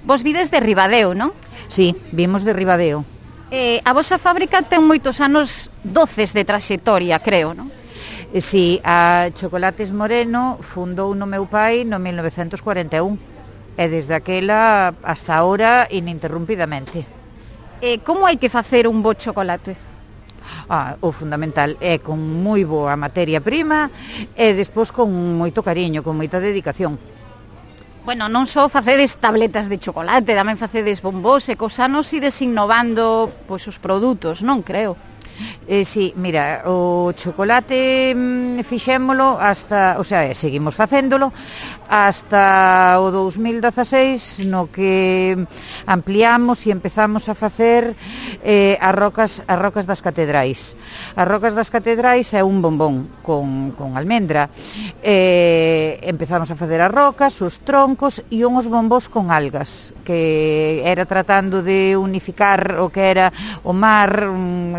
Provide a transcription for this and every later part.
Vos vides de Ribadeo, non? Sí, vimos de Ribadeo. A vosa fábrica ten moitos anos doces de traxectoria, creo, non? Sí, a Chocolates Moreno fundou no meu pai no 1941 e desde aquela hasta ahora ininterrumpidamente. Como hai que facer un bo chocolate? O fundamental é con moi boa materia prima e despois con moito cariño, con moita dedicación. Bueno, non só facedes tabletas de chocolate, tamén facedes bombós e cos anos ides innovando pois, os produtos, non creo? Sí, mira, o chocolate fixémolo hasta, o sea, seguimos facéndolo hasta o 2016 no que ampliamos e empezamos a facer as rocas das catedrais. As rocas das catedrais é un bombón con almendra. Empezamos a facer as rocas, os troncos e uns bombós con algas, que era tratando de unificar o que era o mar,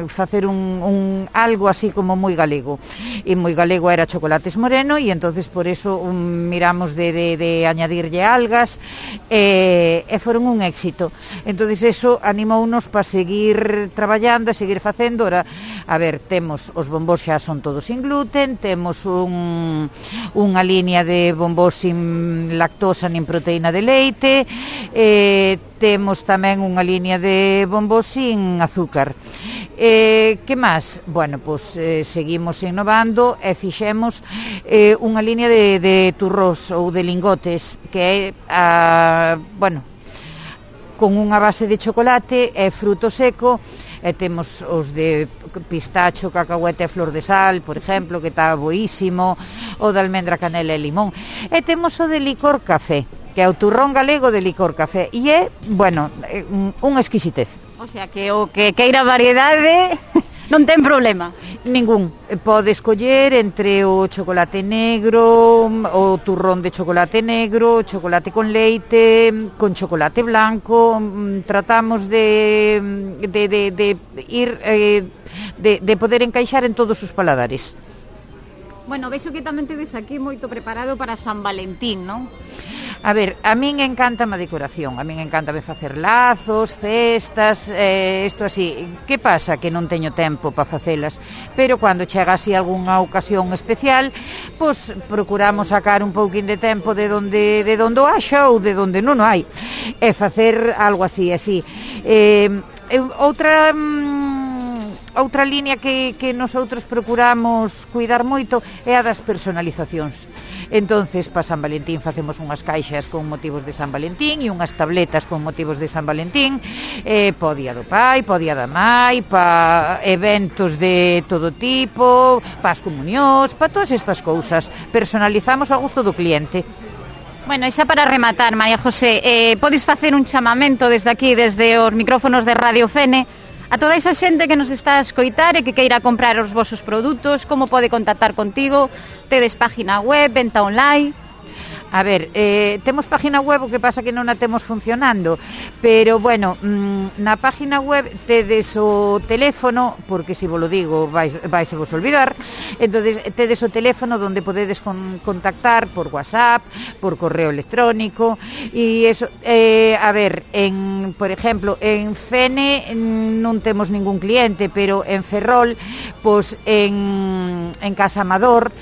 facer algo así como moi galego, e moi galego era Chocolates Moreno, e entonces por eso miramos de añadirlle algas e foron un éxito. Entonces eso animounos para seguir traballando e seguir facendo. Ora, a ver, temos os bombós xa son todos sin gluten, temos unha línea de bombós sin lactosa nin proteína de leite, temos tamén unha línea de bombós sin azúcar. Que máis? Bueno, pois seguimos innovando e fixemos unha línea de turrós ou de lingotes que é, bueno, con unha base de chocolate e fruto seco, e temos os de pistacho, cacahuete e flor de sal, por exemplo, que está boísimo, o de almendra, canela e limón, e temos o de licor café, que é o turrón galego de licor café, e é, bueno, unha exquisitez. O sea, que o que queira variedade non ten problema. Ningún. Pode escoller entre o chocolate negro, o turrón de chocolate negro, chocolate con leite, con chocolate blanco. Tratamos de ir, de poder encaixar en todos os paladares. Bueno, vexo que tamén tedes aquí moito preparado para San Valentín, non? A ver, a min encanta a decoración, a min encanta facer lazos, cestas, isto así. Que pasa? Que non teño tempo para facelas, pero cando chega así algunha ocasión especial, pois procuramos sacar un pouquín de tempo de donde o haxa ou de donde non o hai, e facer algo así. Outra línea que nosotros procuramos cuidar moito é a das personalizacións. Entonces, para San Valentín facemos unhas caixas con motivos de San Valentín e unhas tabletas con motivos de San Valentín, para o día do pai, para o día da mai, para eventos de todo tipo, para as comunións, para todas estas cousas. Personalizamos a gusto do cliente. Bueno, e xa para rematar, María José, podes facer un chamamento desde aquí, desde os micrófonos de Radio Fene, a toda esa xente que nos está a escoitar e que queira comprar os vosos produtos, como pode contactar contigo? Tedes página web, venta online? A ver, temos página web, o que pasa que non a temos funcionando, pero bueno, na página web tedes o teléfono, porque se vos lo digo vais vos olvidar. Entonces tedes o teléfono onde podedes contactar por WhatsApp, por correo electrónico, e eso, a ver, por exemplo, en Fene non temos ningún cliente, pero en Ferrol, pois en Casa Amador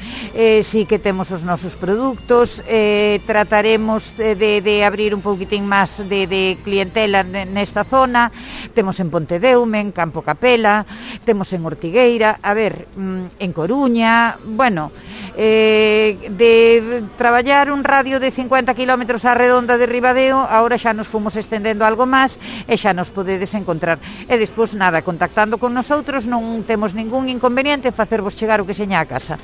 sí que temos os nosos produtos. Trataremos de abrir un pouquitín máis de clientela nesta zona. Temos en Pontedeume, en Campo Capela, temos en Ortigueira, a ver, en Coruña. Bueno, de traballar un radio de 50 km á redonda de Ribadeo, agora xa nos fomos estendendo algo máis e xa nos podedes encontrar. E despois, nada, contactando con nosotros, non temos ningún inconveniente en facervos chegar o que seña a casa.